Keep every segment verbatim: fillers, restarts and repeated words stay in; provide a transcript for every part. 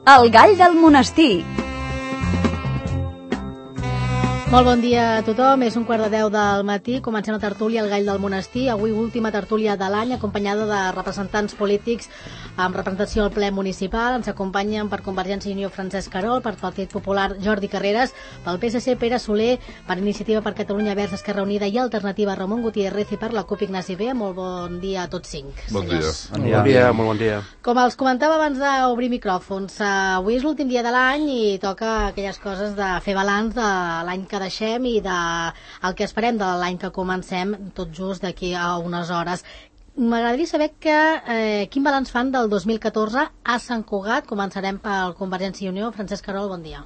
El gall del monestir. Molt bon dia a tothom, és un quart de deu del matí, comencem la tertúlia El gall del monestir, avui última tertúlia de l'any, acompanyada de representants polítics amb representació al ple municipal. Ens acompanyen per Convergència i Unió Francesc Querol, per Partit Popular Jordi Carreras, pel P S C Pere Soler, per Iniciativa per Catalunya Verds Esquerra Unida i Alternativa Ramon Gutiérrez i per la CUP Ignasi Bea. Molt bon dia a tots cinc. Bon dia. Bon dia. Bon dia, molt bon dia. Com els comentava abans d'obrir micròfons, avui és l'últim dia de l'any i toca aquelles coses de fer balanç de l'any que deixem i de el que esperem de l'any que comencem tot just d'aquí a unes hores. M'agradaria saber que, eh, quin balanç fan del dos mil catorze a Sant Cugat. Començarem pel Convergència i Unió. Francesc Querol, bon dia.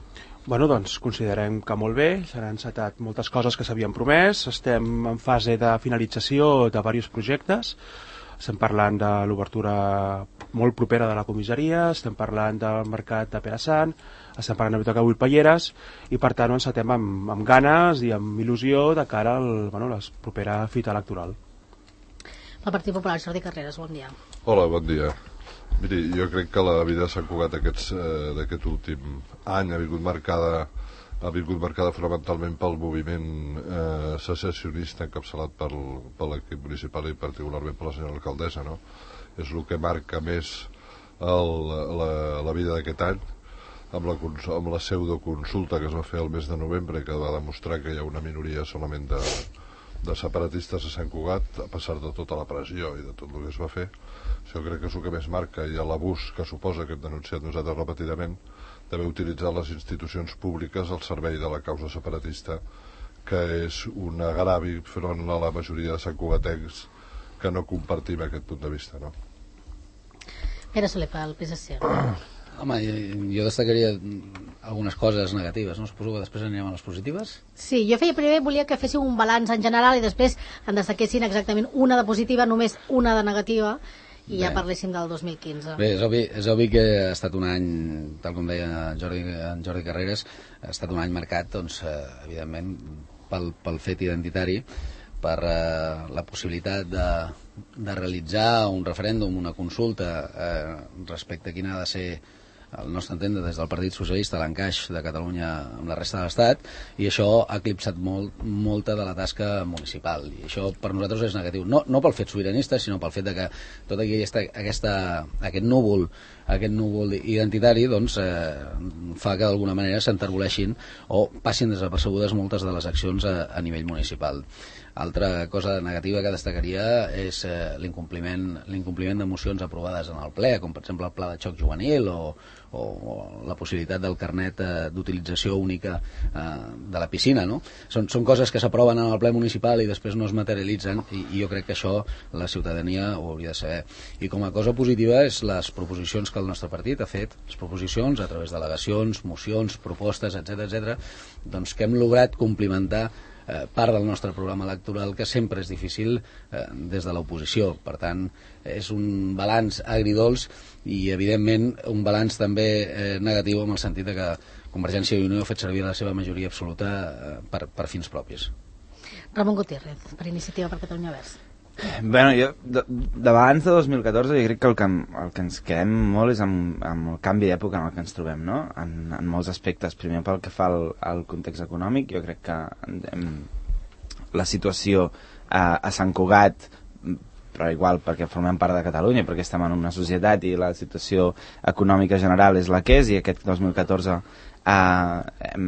Bueno, doncs considerem que molt bé, s'han encetat moltes coses que s'havien promès, estem en fase de finalització de diversos projectes, estem parlant de l'obertura molt propera de la comissaria, estem parlant del mercat de Pere Sant, estem parlant de Biblioteca Wilpelleres i per tant ho encetem amb, amb ganes i amb il·lusió de cara a bueno, la propera fita electoral. El Partit Popular, Jordi Carreras, bon dia. Hola, bon dia. Miri, jo crec que la vida de Sant Cugat d'aquest eh, últim any ha vingut marcada ha vingut marcada fonamentalment pel moviment eh, secessionista encapçalat pel, per l'equip municipal i particularment per la senyora alcaldessa, no? És el que marca més el, la, la vida d'aquest any, amb la, amb la pseudoconsulta que es va fer el mes de novembre, que va demostrar que hi ha una minoria solament de, de separatistes a Sant Cugat, a pesar de tota la pressió i de tot el que es va fer. Això crec que és el que més marca, i l'abús que suposa, que hem denunciat nosaltres repetidament, d'haver utilitzat les institucions públiques al servei de la causa separatista, que és un agravi front a la majoria de santcugatencs que no compartim aquest punt de vista, no? Pere Soler, pel P S C. Home, jo destacaria algunes coses negatives, no? Suposo que després anirem a les positives? Sí, jo feia primer, volia que féssiu un balanç en general i després en destaquessin exactament una de positiva, només una de negativa, i Bé. ja parléssim del dos mil quinze. Bé, és obvi, és obvi que ha estat un any, tal com deia Jordi, Jordi Carreras, ha estat un any marcat, doncs, eh, evidentment, pel, pel fet identitari, per eh, la possibilitat de, de realitzar un referèndum, una consulta eh, respecte a quina ha de ser, al nostre entendre, des del Partit Socialista, l'encaix de Catalunya amb la resta de l'Estat, i això ha eclipsat molt, molta de la tasca municipal, i això per nosaltres és negatiu, no, no pel fet sobiranista, sinó pel fet de que tot aquesta, aquesta, aquest núvol aquest núvol identitari doncs, eh, fa que d'alguna manera s'enterboleixin o passin desapercebudes moltes de les accions a, a nivell municipal. Altra cosa negativa que destacaria és eh, l'incompliment l'incompliment de mocions aprovades en el ple, com per exemple el pla de xoc juvenil o, o, o la possibilitat del carnet eh, d'utilització única eh, de la piscina, no? Són, són coses que s'aproven en el ple municipal i després no es materialitzen, i, i jo crec que això la ciutadania ho hauria de saber. I com a cosa positiva és les proposicions que el nostre partit ha fet, les proposicions a través d'al·legacions, mocions, propostes, etcètera, etcètera, doncs que hem lograt complimentar eh, part del nostre programa electoral, que sempre és difícil eh, des de l'oposició. Per tant, és un balanç agridolç i, evidentment, un balanç també eh, negatiu en el sentit de que Convergència i Unió ha fet servir la seva majoria absoluta eh, per, per fins propis. Ramon Gutiérrez, per Iniciativa per Catalunya Verds. Bueno, jo, de, d'abans de dos mil catorze, jo crec que el que, el que ens quedem molt és amb, amb el canvi d'època en el que ens trobem, no? En, en molts aspectes. Primer, pel que fa al, al context econòmic, jo crec que hem, la situació a, a Sant Cugat, però igual perquè formem part de Catalunya, perquè estem en una societat i la situació econòmica general és la que és, i aquest dos mil catorze Uh, hem,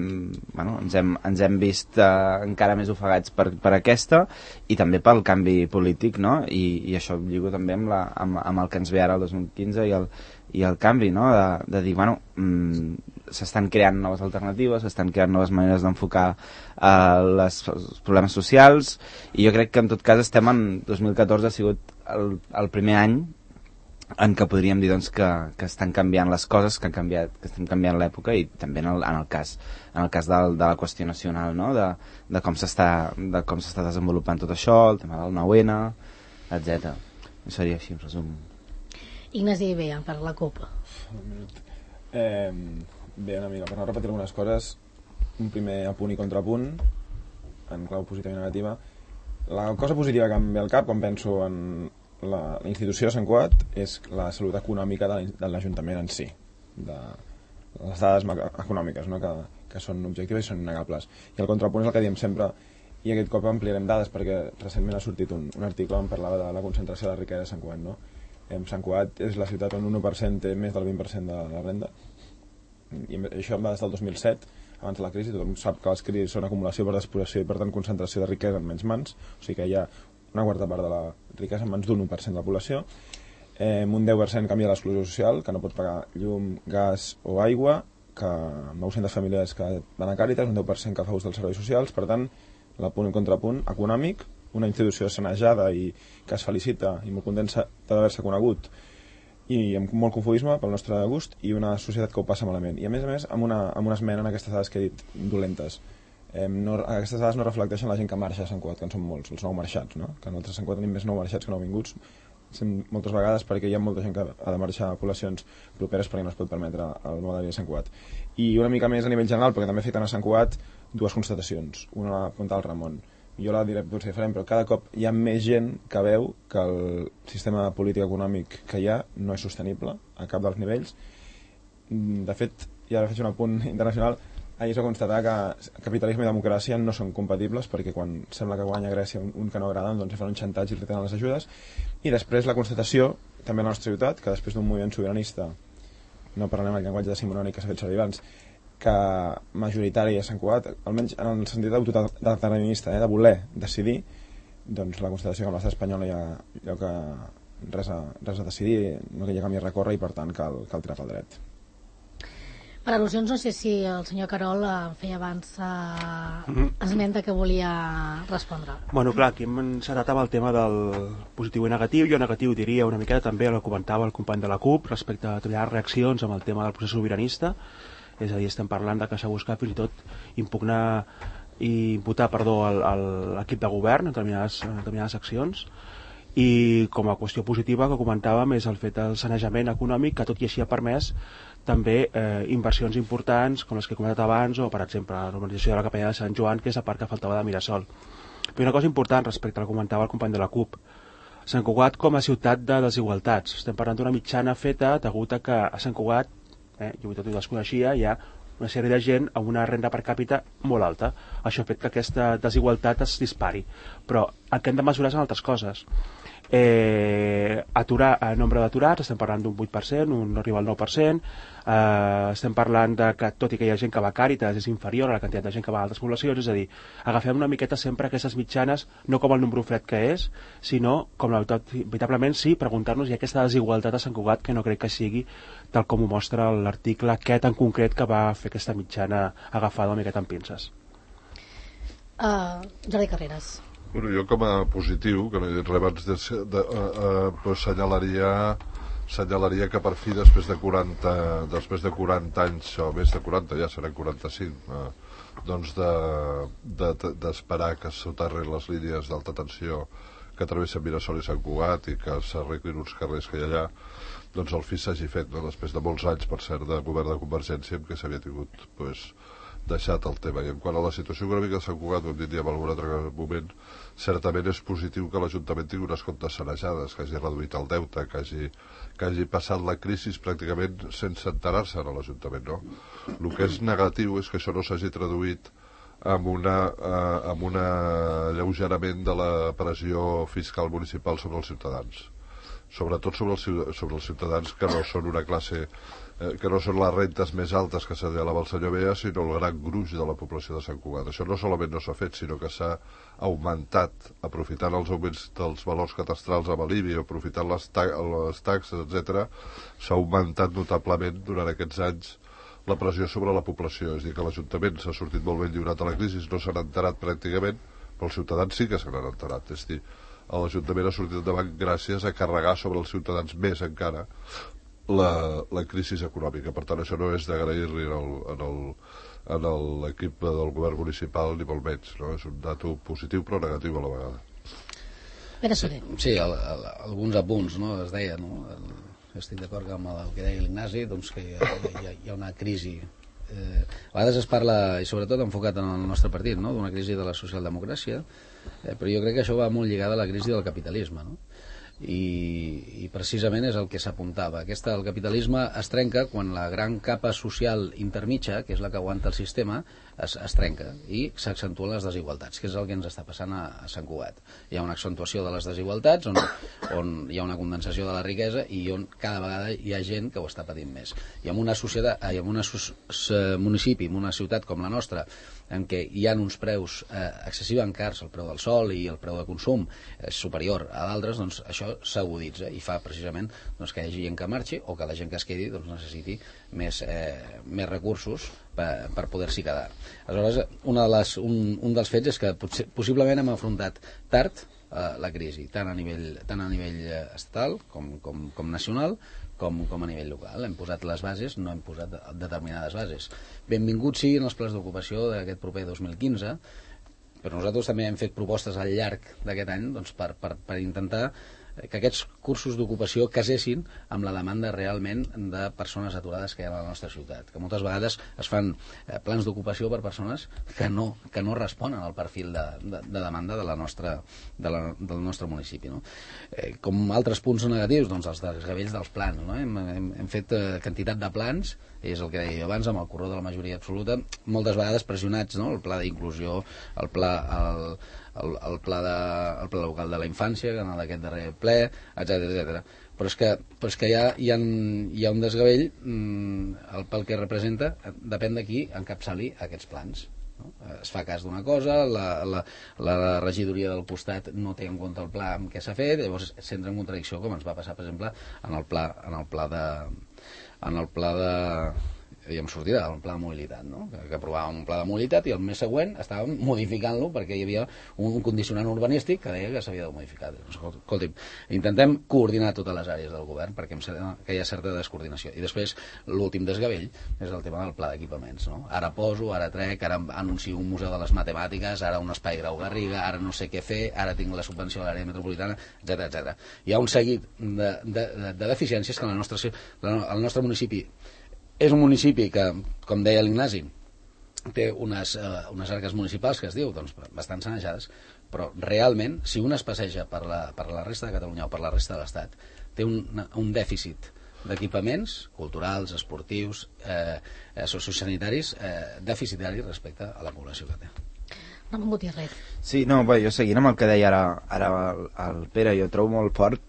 bueno, ens, hem, ens hem vist uh, encara més ofegats per, per aquesta, i també pel canvi polític, no? I, i això lligo també amb, la, amb, amb el que ens ve ara el dos mil quinze i el, i el canvi, no? De, de dir, bueno, mm, s'estan creant noves alternatives, s'estan creant noves maneres d'enfocar uh, les, els problemes socials, i jo crec que en tot cas estem en dos mil catorze, ha sigut el, el primer any en què podríem dir doncs, que, que estan canviant les coses, que, han canviat, que estan canviant l'època, i també en el, en el cas, en el cas del, de la qüestió nacional, no? de, de com s'està de com s'està desenvolupant tot això, el tema del nou ene, etcètera. Seria així, en resum. Ignasi Bea, per la CUP. Eh, bé, una mica, per no repetir algunes coses, un primer apunt i contrapunt, en clau positiva i negativa. La cosa positiva que em ve al cap quan penso en la, la institució de Sant Cugat és la salut econòmica de l'Ajuntament en si, de, les dades econòmiques, no? que, que són objectives i són innegables. I el contrapunt és el que diem sempre, i aquest cop ampliarem dades, perquè recentment ha sortit un, un article on parlava de la concentració de la riquesa de Sant Cugat. No? Sant Cugat és la ciutat on un u per cent té més del vint per cent de la renda, i això va des del dos mil set, abans de la crisi. Tothom sap que les crisis són acumulació per despojació i per tant concentració de riquesa en menys mans, o sigui que hi ha una quarta part de la riquesa en mans d'un u per cent de la població. Eh, un deu per cent canvia l'exclusió social, que no pot pagar llum, gas o aigua, que nou-centes famílies que van a Càritas, un deu per cent que fa ús dels serveis socials. Per tant, la punt i contrapunt econòmic, una institució sanejada i que es felicita i molt contenta d'haver-se conegut i amb molt confudisme pel nostre gust, i una societat que ho passa malament, i a més a més amb una, amb una esmena en aquestes dades que he dit dolentes. Eh, no, aquestes dades no reflecteixen la gent que marxa a Sant Cugat, que en són molts, els nou marxats, no? Que nosaltres a Sant Cugat tenim més nou marxats que nou vinguts, moltes vegades perquè hi ha molta gent que ha de marxar a poblacions properes perquè no es pot permetre el mode de vida a Sant Cugat. I una mica més a nivell general, perquè també afecten a Sant Cugat, dues constatacions. Una la apunta el Ramon, jo la diré potser diferent, però cada cop hi ha més gent que veu que el sistema polític econòmic que hi ha no és sostenible a cap dels nivells. De fet, i ara faig un apunt internacional, ahir es va constatar que capitalisme i democràcia no són compatibles, perquè quan sembla que guanya Grècia un, un que no agrada, doncs fan un xantatge i retenen les ajudes. I després la constatació, també a la nostra ciutat, que després d'un moviment sobiranista, no parlarem el llenguatge decimonònic que s'ha fet servir abans, que majoritari a Sant Cugat, almenys en el sentit autodeterminista, eh, de voler decidir, doncs la constatació que amb l'estat espanyol no hi ha allò que res a, res a decidir, no hi ha camí a recórrer, i per tant cal, cal tirar pel dret. Per al·lusions, no sé si el senyor Carol en feia abans eh, esmenta que volia respondre. Bueno, clar, aquí hem encetat amb el tema del positiu i negatiu. Jo negatiu diria una miqueta també, el comentava el company de la CUP, respecte a determinades reaccions amb el tema del procés sobiranista. És a dir, estem parlant de que s'ha buscat fins i tot impugnar i imputar, perdó, l'equip de govern en determinades, en determinades accions. I com a qüestió positiva que comentàvem és el fet del sanejament econòmic, que tot i així ha permès també eh, inversions importants com les que he comentat abans, o per exemple la normalització de la capella de Sant Joan, que és la part que faltava de Mirasol. Però una cosa important respecte al que comentava el company de la CUP, Sant Cugat com a ciutat de desigualtats. Estem parlant d'una mitjana feta degut a que a Sant Cugat, eh, jo tot ho desconeixia, hi ha una sèrie de gent amb una renda per càpita molt alta. Això ha fet que aquesta desigualtat es dispari. Però el que hem de mesurar són altres coses. Eh, aturar el nombre d'aturats, estem parlant d'un vuit per cent, un no arriba al nou per cent, eh, estem parlant de que tot i que hi ha gent que va a Càritas és inferior a la quantitat de gent que va a altres poblacions, és a dir, agafem una miqueta sempre aquestes mitjanes, no com el número fred que és, sinó com la, veritablement sí, preguntar-nos hi ha aquesta desigualtat a Sant Cugat, que no crec que sigui tal com ho mostra l'article aquest en concret que va fer aquesta mitjana agafada una miqueta amb pinces. uh, Jordi Carreras. Bueno, jo com a positiu, que no he dit res abans, de, de, uh, uh, pues senyalaria, senyalaria que per fi després de quaranta, després de quaranta anys, o més de quaranta, ja seran quaranta-cinc, uh, doncs d'esperar de, de, que s'aterrin les línies d'alta tensió que travessen Mirasol i Sant Cugat i que s'arreglin uns carrers que hi ha allà, doncs el fi s'hagi fet, no? Després de molts anys, per cert, de govern de Convergència, en què s'havia tingut, pues, deixat el tema. I en quant a la situació econòmica de Sant Cugat, ho hem dit ja en algun altre moment, certament és positiu que l'Ajuntament tingui unes comptes sanejades, que hagi reduït el deute, que hagi, que hagi passat la crisi pràcticament sense enterar-se a l'Ajuntament, no? El que és negatiu és que això no s'hagi traduït amb una, eh, amb un alleugerament de la pressió fiscal municipal sobre els ciutadans, sobretot sobre els, sobre els ciutadans que no són una classe, eh, que no són les rentes més altes que s'assenyalava el senyor Bea, sinó el gran gruix de la població de Sant Cugat. Això no solament no s'ha fet, sinó que s'ha augmentat, aprofitant els augments dels valors catastrals amb l'I B I, aprofitant les, ta les taxes, etcètera, s'ha augmentat notablement durant aquests anys la pressió sobre la població. És a dir, que l'Ajuntament s'ha sortit molt ben lliurat a la crisi, no s'han enterat pràcticament, però els ciutadans sí que se n'han enterat. És a dir, l'Ajuntament ha sortit endavant gràcies a carregar sobre els ciutadans més encara la, la crisi econòmica. Per tant, això no és d'agrair-li en l'equip del govern municipal ni molt menys, no? És un dato positiu però negatiu a la vegada. Pere Soler. Sí, el, el, alguns apunts, no? Es deia, no? El, estic d'acord amb el que deia l'Ignasi, doncs que hi ha, hi, ha, hi ha una crisi. Eh, a vegades es parla, i sobretot enfocat en el nostre partit, no? D'una crisi de la socialdemocràcia, eh, però jo crec que això va molt lligat a la crisi del capitalisme, no? i, i precisament és el que s'apuntava. Aquesta, el capitalisme es trenca quan la gran capa social intermitja, que és la que aguanta el sistema, es, es trenca i s'accentuen les desigualtats, que és el que ens està passant a, a Sant Cugat. Hi ha una accentuació de les desigualtats on, on hi ha una condensació de la riquesa i on cada vegada hi ha gent que ho està patint més. I en una societat, i en un municipi, en una ciutat com la nostra, en què hi ha uns preus eh, excessivament cars, el preu del sol i el preu de consum és superior a d'altres, doncs això s'aguditza i fa precisament doncs, que hi hagi gent que marxi o que la gent que es quedi doncs, necessiti més, eh, més recursos per, per poder-s'hi quedar. Aleshores, una de les, un, un dels fets és que potser, possiblement hem afrontat tard eh, la crisi, tant a nivell, tant a nivell estatal com, com, com nacional, Com, com a nivell local. Hem posat les bases, no hem posat determinades bases. Benvinguts siguin els plans d'ocupació d'aquest proper dos mil quinze, però nosaltres també hem fet propostes al llarg d'aquest any doncs, per, per, per intentar que aquests cursos d'ocupació casessin amb la demanda realment de persones aturades que hi ha a la nostra ciutat, que moltes vegades es fan eh, plans d'ocupació per persones que no, que no responen al perfil de, de, de demanda de la nostra, de la, del nostre municipi, no? Eh, com altres punts negatius, doncs els desgavells dels plans, no? hem, hem, hem fet eh, quantitat de plans, és el que deia jo abans, amb el corredor de la majoria absoluta, moltes vegades pressionats, no? El pla d'inclusió, el pla el, el, el, pla de, el pla local de la infància, que en d'aquest darrer ple, etcètera etcètera. Però és que, però és que hi, ha, hi, ha, hi ha un desgavell, mmm, el, pel que representa, depèn de qui encapçali aquests plans. No? Es fa cas d'una cosa, la, la, la regidoria del costat no té en compte el pla amb què s'ha fet, llavors s'entra en contradicció, com ens va passar, per exemple, en el pla, en el pla de... en el pla de... ja em sortirà, el pla de mobilitat, no? que, que aprovàvem un pla de mobilitat i el mes següent estàvem modificant-lo perquè hi havia un condicionant urbanístic que deia que s'havia de modificar. Escolti'm, intentem coordinar totes les àrees del govern perquè em sembla que hi ha certa descoordinació. I després, l'últim desgavell és el tema del pla d'equipaments. No? Ara poso, ara trec, ara anuncio un museu de les matemàtiques, ara un espai Grau Garriga, ara no sé què fer, ara tinc la subvenció a l'àrea metropolitana, etcètera etcètera. Hi ha un seguit de, de, de, de deficiències que en el nostre, el nostre municipi és un municipi que, com deia l'Ignasi, té unes, uh, unes arques municipals que es diu doncs, bastant sanejades, però realment, si un es passeja per la, per la resta de Catalunya o per la resta de l'Estat, té un, un dèficit d'equipaments culturals, esportius, eh, sociosanitaris, eh, deficitari respecte a la població que té. Ramon Gutiérrez. Sí, no, bé, jo seguint amb el que deia ara, ara el, el Pere, jo trobo molt fort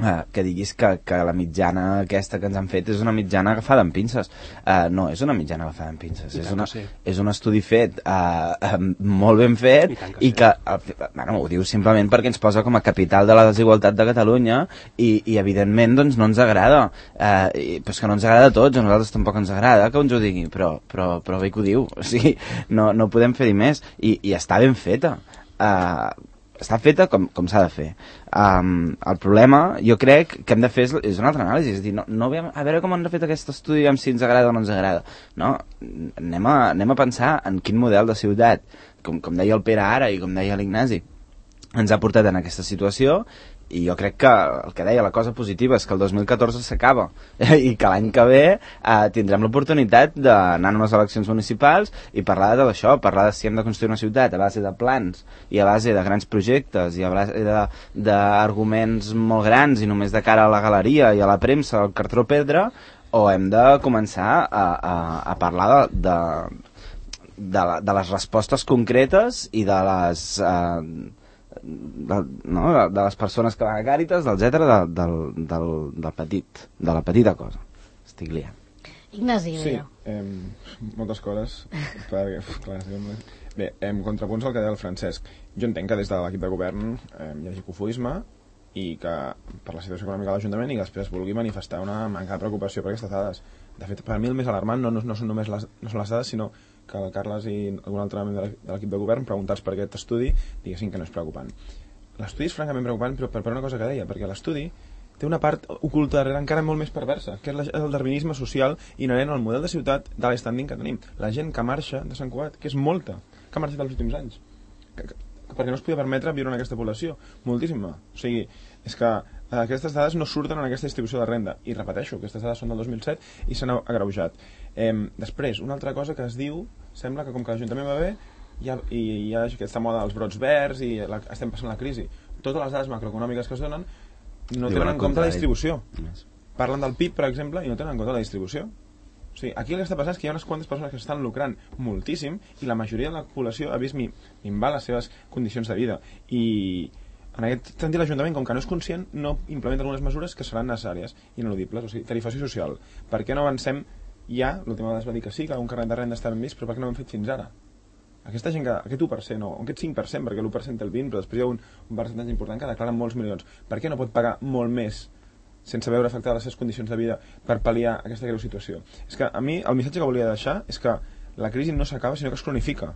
Uh, que diguis que, que la mitjana aquesta que ens han fet és una mitjana agafada amb pinces. Uh, no, és una mitjana agafada amb pinces. És, una, sí. és un estudi fet, uh, uh, molt ben fet, i, que, i que uh, bueno, ho diu simplement perquè ens posa com a capital de la desigualtat de Catalunya i, i evidentment doncs, no ens agrada. Uh, i, però és que no ens agrada a tots, a nosaltres tampoc ens agrada que ens ho digui, però, però, però bé que ho diu. O sigui, no, no podem fer-hi més. I, i està ben feta. Uh, està feta com, com s'ha de fer. Um, el problema, jo crec que hem de fer és, és una altra anàlisi, és a dir, no, no veiem, a veure com han fet aquest estudi, amb si ens agrada o no ens agrada. No, anem a, anem a pensar en quin model de ciutat, com, com deia el Pere ara i com deia l'Ignasi, ens ha portat en aquesta situació. I jo crec que el que deia, la cosa positiva és que el dos mil catorze s'acaba i que l'any que ve eh, tindrem l'oportunitat d'anar a unes eleccions municipals i parlar de tot això, parlar de si hem de construir una ciutat a base de plans i a base de grans projectes i a base d'arguments molt grans i només de cara a la galeria i a la premsa, al cartró pedra, o hem de començar a, a, a parlar de, de, de, de les respostes concretes i de les... Eh, De, no, de les persones que van a Càritas, etcètera, de, del, del, del petit, de la petita cosa. Estic liant. Ignasi, sí, eh, moltes coses perquè, clar, bé, en contrapunts al que deia el Francesc, jo entenc que des de l'equip de govern eh, hi hagi cofoisme i que per la situació econòmica de l'Ajuntament i que després vulgui manifestar una manca de preocupació per aquestes dades. De fet, per a mi el més alarmant no, no, no són només les, no són les dades, sinó que el Carles i algun altre membre de l'equip de govern, preguntats per aquest estudi, diguessin que no és preocupant. L'estudi és francament preocupant, però per, per una cosa que deia, perquè l'estudi té una part oculta darrere encara molt més perversa, que és el darwinisme social inherent al model de ciutat de l'estanding que tenim. La gent que marxa de Sant Cugat, que és molta, que ha marxat els últims anys, que, que, perquè no es podia permetre viure en aquesta població. Moltíssima. O sigui, és que aquestes dades no surten en aquesta distribució de renda. I repeteixo, aquestes dades són del dos mil set i s'han agreujat. Eh, després, una altra cosa que es diu, sembla que com que l'Ajuntament va bé, hi ha, i hi ha aquesta moda dels brots verds i la, estem passant la crisi. Totes les dades macroeconòmiques que es donen no tenen en compte la distribució. Parlen del P I B, per exemple, i no tenen en compte la distribució. O sigui, aquí el que està passant és que hi ha unes quantes persones que estan lucrant moltíssim i la majoria de la població ha vist minvar les seves condicions de vida. I en aquest sentit l'Ajuntament, com que no és conscient, no implementa algunes mesures que seran necessàries i ineludibles. O sigui, tarifació social. Per què no avancem ja? L'última vegada es va dir que sí, que un carnet de renda està ben vist, però per què no ho hem fet fins ara? Aquesta gent que, aquest u per cent, o aquest cinc per cent, perquè l'u per cent té el vint, però després hi ha un, un percentatge important que declara molts milions. Per què no pot pagar molt més sense veure afectades les seves condicions de vida per pal·liar aquesta greu situació? És que a mi el missatge que volia deixar és que la crisi no s'acaba sinó que es cronifica,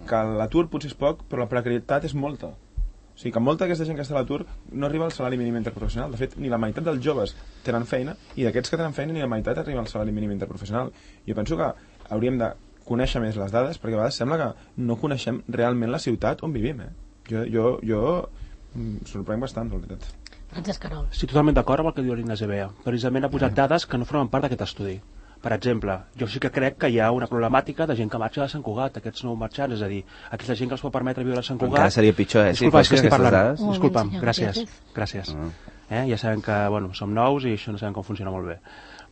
que l'atur potser és poc però la precarietat és molta. O sigui que molta d'aquesta gent que està a l'atur no arriba al salari mínim interprofessional. De fet, ni la meitat dels joves tenen feina i d'aquests que tenen feina ni la meitat arriba al salari mínim interprofessional. Jo penso que hauríem de conèixer més les dades perquè a vegades sembla que no coneixem realment la ciutat on vivim. Eh? Jo, jo, jo mm, sorprenc bastant, la veritat. Francesc Carol. Sí, totalment d'acord amb el que diu l'Ignasi Bea. Precisament ha posat dades que no formen part d'aquest estudi. Per exemple, jo sí que crec que hi ha una problemàtica de gent que marxa de Sant Cugat, aquests nous marxants, és a dir, aquesta gent que els pot permetre viure a Sant Cugat... Encara seria pitjor, eh? Disculpa, si és que estic parlant. dades. Un Disculpa'm, moment, gràcies. Gràcies. Uh -huh. eh? Ja sabem que, bueno, som nous i això no sabem com funciona molt bé.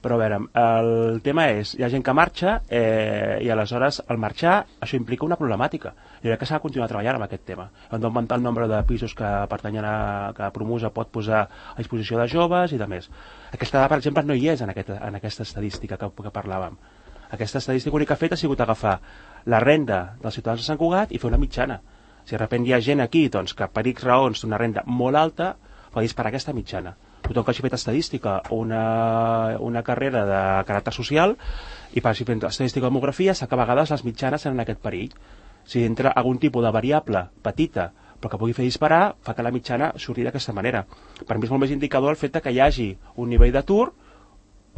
Però a veure, el tema és, hi ha gent que marxa eh, i aleshores al marxar això implica una problemàtica. Jo crec que s'ha de continuar treballant amb aquest tema. Hem d'augmentar el nombre de pisos que pertanyen a que Promusa pot posar a disposició de joves i de més. Aquesta dada, per exemple, no hi és en, aquest, en aquesta estadística que, que parlàvem. Aquesta estadística única feta ha sigut agafar la renda dels ciutadans de Sant Cugat i fer una mitjana. Si de sobte hi ha gent aquí doncs, que per X raons té una renda molt alta, fa disparar aquesta mitjana. Tothom que hagi fet estadística o una, una carrera de caràcter social i per si fent estadística o demografia sap que a vegades les mitjanes tenen aquest perill. Si entra algun tipus de variable petita però que pugui fer disparar, fa que la mitjana surti d'aquesta manera. Per mi és molt més indicador el fet que hi hagi un nivell d'atur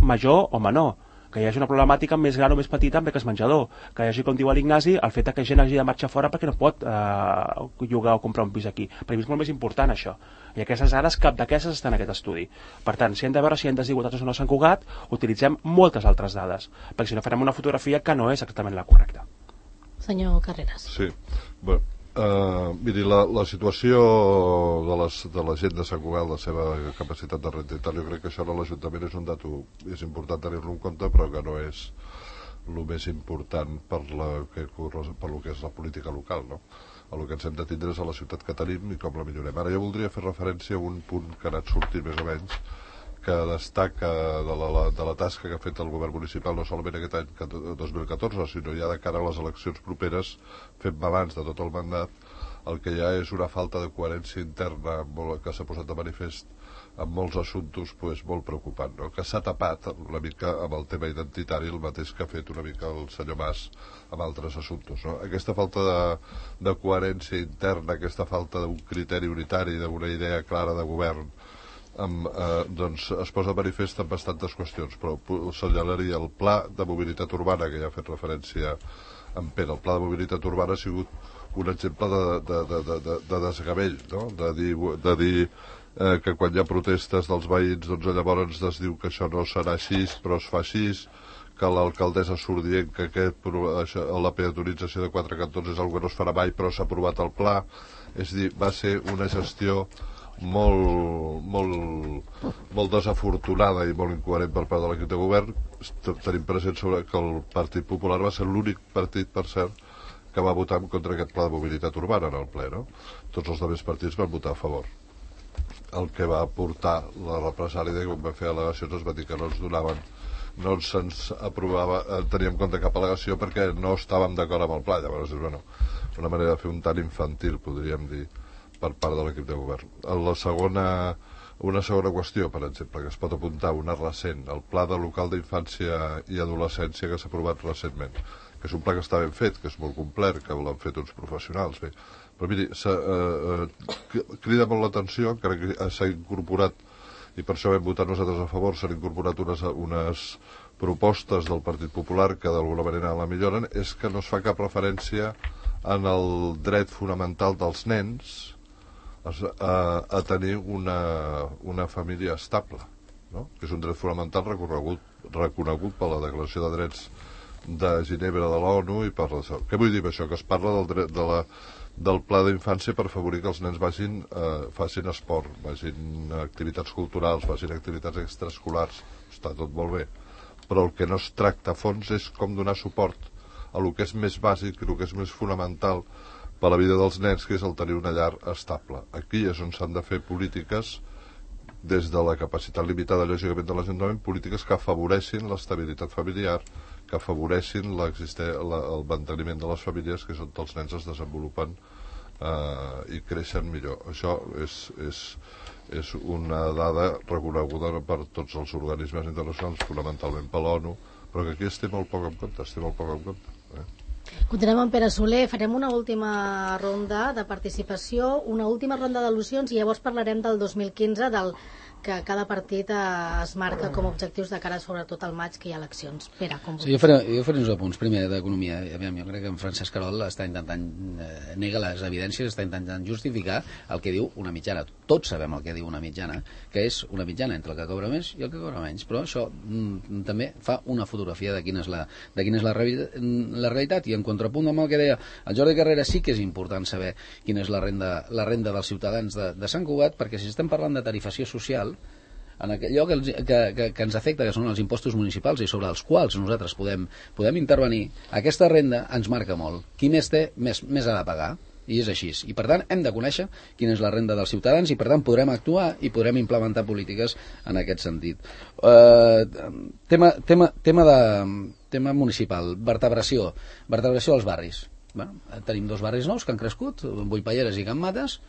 major o menor, que hi hagi una problemàtica més gran o més petita amb beques menjador, que hi hagi, com diu l'Ignasi, el fet que gent hagi de marxar fora perquè no pot eh, llogar o comprar un pis aquí. Per mi és molt més important això. I aquestes dades, cap d'aquestes estan en aquest estudi. Per tant, si hem de veure si hi ha desigualtats o no a Sant Cugat, utilitzem moltes altres dades, perquè si no farem una fotografia que no és exactament la correcta. Senyor Carreras. Sí, bueno, uh, miri, la, la situació de, les, de la gent de Sant Cugat, la seva capacitat de renda i tal, jo crec que això a l'Ajuntament és un dato, és important tenir-lo en compte, però que no és el més important per, la, que, per lo que és la política local, no? El que ens hem de tindre és a la ciutat que tenim i com la millorem. Ara jo voldria fer referència a un punt que ha anat sortint més o menys, que destaca de la, de la tasca que ha fet el govern municipal no solament aquest any dos mil catorze, sinó ja de cara a les eleccions properes, fent balanç de tot el mandat. El que hi ha és una falta de coherència interna molt, que s'ha posat de manifest en molts assumptes pues, molt preocupant, no? Que s'ha tapat una mica amb el tema identitari, el mateix que ha fet una mica el senyor Mas amb altres assumptes, no? Aquesta falta de, de coherència interna, aquesta falta d'un criteri unitari, d'una idea clara de govern, amb, eh, doncs es posa de manifest en bastantes qüestions, però assenyalaria el pla de mobilitat urbana, que ja ha fet referència en Pere. El pla de mobilitat urbana ha sigut un exemple de, de, de, de, de, de desgavell, no? De dir, de dir eh, que quan hi ha protestes dels veïns, doncs llavors es diu que això no serà així, però es fa així, que l'alcaldessa surt dient que aquest, això, la peatonització de quatre cantons és una cosa que no es farà mai, però s'ha aprovat el pla. És a dir, va ser una gestió molt, molt, molt desafortunada i molt incoherent per part de l'equip de govern. Tenim present sobre que el Partit Popular va ser l'únic partit, per cert, que va votar en contra d'aquest pla de mobilitat urbana en el ple, no? Tots els altres partits van votar a favor. El que va portar la represàlia de que quan va fer al·legacions es va dir que no ens donaven, no se'ns aprovava, teníem en compte cap al·legació perquè no estàvem d'acord amb el pla. Llavors és bueno, una manera de fer un tant infantil, podríem dir, per part de l'equip de govern. La segona, una segona qüestió, per exemple, que es pot apuntar, una recent, el pla de local d'infància i adolescència que s'ha aprovat recentment, que és un pla que està ben fet, que és molt complet, que l'han fet uns professionals, bé. Però miri, eh, eh, crida molt l'atenció, encara que s'ha incorporat, i per això vam votar nosaltres a favor, s'han incorporat unes, unes propostes del Partit Popular que d'alguna manera la milloren, és que no es fa cap referència en el dret fonamental dels nens a, a tenir una, una família estable, no? Que és un dret fonamental reconegut, reconegut per la Declaració de Drets de Ginebra de l'ONU i parla d'això. Què vull dir amb això? Que es parla del, dret, de la, del pla d'infància per afavorir que els nens vagin, eh, facin esport, vagin activitats culturals, vagin activitats extraescolars. Està tot molt bé. Però el que no es tracta a fons és com donar suport a el que és més bàsic i el que és més fonamental per a la vida dels nens, que és el tenir una llar estable. Aquí és on s'han de fer polítiques des de la capacitat limitada, lògicament, de l'Ajuntament, polítiques que afavoreixin l'estabilitat familiar, que afavoreixin la, el manteniment de les famílies, que és on els nens es desenvolupen eh, i creixen millor. Això és, és, és una dada reconeguda per tots els organismes internacionals, fonamentalment per l'ONU, però que aquí es té molt poc en compte, es té molt poc en compte. Eh? Continuem amb Pere Soler, farem una última ronda de participació, una última ronda d'al·lusions i llavors parlarem del dos mil quinze, del que cada partit es marca com a objectius de cara sobretot al maig, que hi ha eleccions. Pere, com sí, jo, faré, jo faré uns apunts. Primer, d'economia. Jo crec que en Francesc Querol està intentant eh, nega les evidències, està intentant justificar el que diu una mitjana. Tots sabem el que diu una mitjana, que és una mitjana entre el que cobra més i el que cobra menys. Però això mm, també fa una fotografia de quina és la, de quina és la, la realitat. I en contrapunt amb el que deia el Jordi Carreras, sí que és important saber quina és la renda, la renda dels ciutadans de, de Sant Cugat, perquè si estem parlant de tarifació social, en allò que, que, que, que ens afecta, que són els impostos municipals i sobre els quals nosaltres podem, podem intervenir, aquesta renda ens marca molt. Qui més té, més, més ha de pagar, i és així. I per tant hem de conèixer quina és la renda dels ciutadans i per tant podrem actuar i podrem implementar polítiques en aquest sentit. Uh, tema, tema, tema, de, tema municipal, vertebració, vertebració als barris. Bueno, tenim dos barris nous que han crescut, Boipalleres i Can Mates,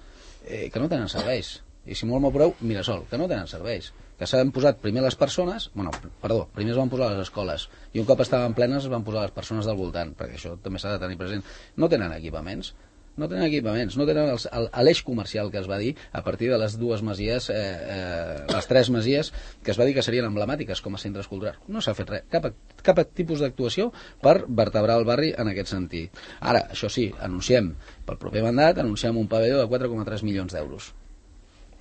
eh, que no tenen serveis. I si molt m'apureu, Mirasol, que no tenen serveis, que s'han posat primer les persones, bueno, perdó, primer es van posar les escoles, i un cop estaven plenes es van posar les persones del voltant, perquè això també s'ha de tenir present. No tenen equipaments, no tenen equipaments, no tenen l'eix comercial que es va dir a partir de les dues masies, eh, eh, les tres masies, que es va dir que serien emblemàtiques com a centres culturals. No s'ha fet res, cap, cap tipus d'actuació per vertebrar el barri en aquest sentit. Ara, això sí, anunciem, pel proper mandat, anunciem un pavelló de quatre coma tres milions d'euros.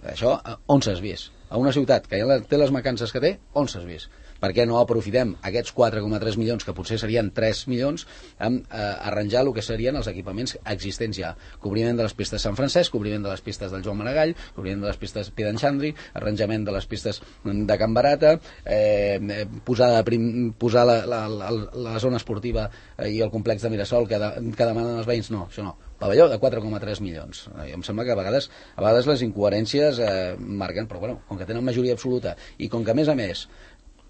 Això, on s'has vist? A una ciutat que ja té les mancances que té, on s'has vist? Per què no aprofitem aquests quatre coma tres milions, que potser serien tres milions, amb eh, arranjar el que serien els equipaments existents ja? Cobriment de les pistes Sant Francesc, cobriment de les pistes del Joan Maragall, cobriment de les pistes Piedanyxandri, arranjament de les pistes de Can Barata, eh, posar, prim, posar la, la, la, la zona esportiva i el complex de Mirasol que, de, que demanen els veïns. No, això no. Pavelló de quatre coma tres milions. Eh, em sembla que a vegades, a vegades les incoherències eh, marquen, però bueno, com que tenen majoria absoluta i com que a més a més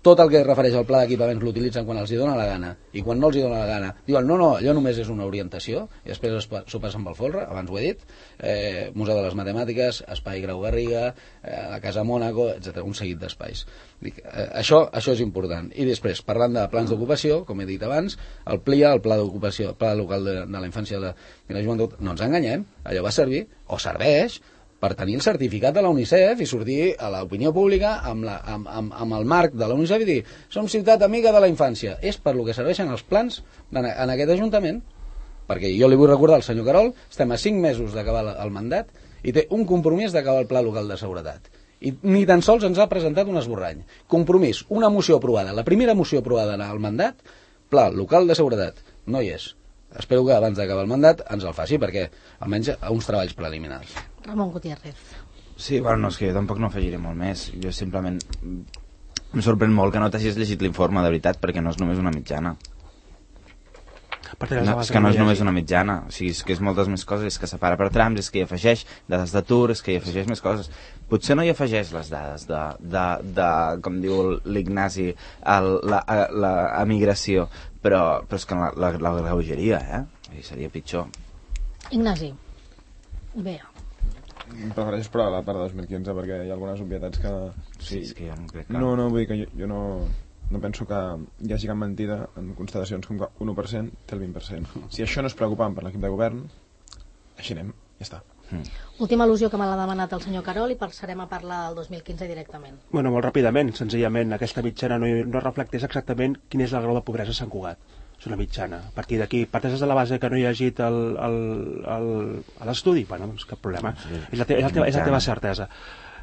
tot el que es refereix al pla d'equipaments l'utilitzen quan els hi dona la gana i quan no els hi dona la gana diuen no, no, allò només és una orientació i després s'ho passen pel folre, abans ho he dit, eh, Museu de les Matemàtiques, Espai Grau Garriga, eh, la Casa Mònaco, etcètera, un seguit d'espais. Dic, eh, això, això és important. I després, parlant de plans d'ocupació, com he dit abans, el P L I A, el Pla d'Ocupació, el Pla Local de, de la Infància i la, i la Joventut, no ens enganyem, allò va servir, o serveix, per tenir el certificat de la UNICEF i sortir a l'opinió pública amb, la, amb, amb, amb el marc de la UNICEF i dir som ciutat amiga de la infància. És per lo que serveixen els plans en, en aquest Ajuntament, perquè jo li vull recordar al senyor Querol, estem a cinc mesos d'acabar el mandat i té un compromís d'acabar el Pla Local de Seguretat. I ni tan sols ens ha presentat un esborrany. Compromís, una moció aprovada, la primera moció aprovada en el mandat, Pla Local de Seguretat. No hi és. Espero que abans d'acabar el mandat ens el faci, perquè almenys uns treballs preliminars. Ramon Gutiérrez. Sí, bueno, no, és que jo tampoc no afegiré molt més. Jo simplement em sorprèn molt que no t'hagis llegit l'informe, de veritat, perquè no és només una mitjana. No, és que no és només una mitjana, o sigui, és que és moltes més coses, és que separa per trams, és que hi afegeix dades d'atur, és que hi afegeix més coses. Potser no hi afegeix les dades de, de, de com diu l'Ignasi, la, la emigració, però, però és que la, la, la greugeria, eh? I seria pitjor. Ignasi, bé. Prefereixo esperar la part de dos mil quinze perquè hi ha algunes obvietats que... Sí, és que jo no crec que... No, no, vull dir que jo, jo no... no penso que hi hagi cap mentida en constatacions com que un u per cent té el vint per cent. Si això no és preocupant per l'equip de govern, així anem, ja està. Mm. Última al·lusió que me l'ha demanat el senyor Querol i passarem a parlar del dos mil quinze directament. Bueno, molt ràpidament, senzillament, aquesta mitjana no, no reflecteix exactament quin és el grau de pobresa a Sant Cugat. És una mitjana. A partir d'aquí, parteix de la base que no hi ha llegit l'estudi, bueno, doncs cap problema. Sí, és, la te, és, la teva, és la teva certesa.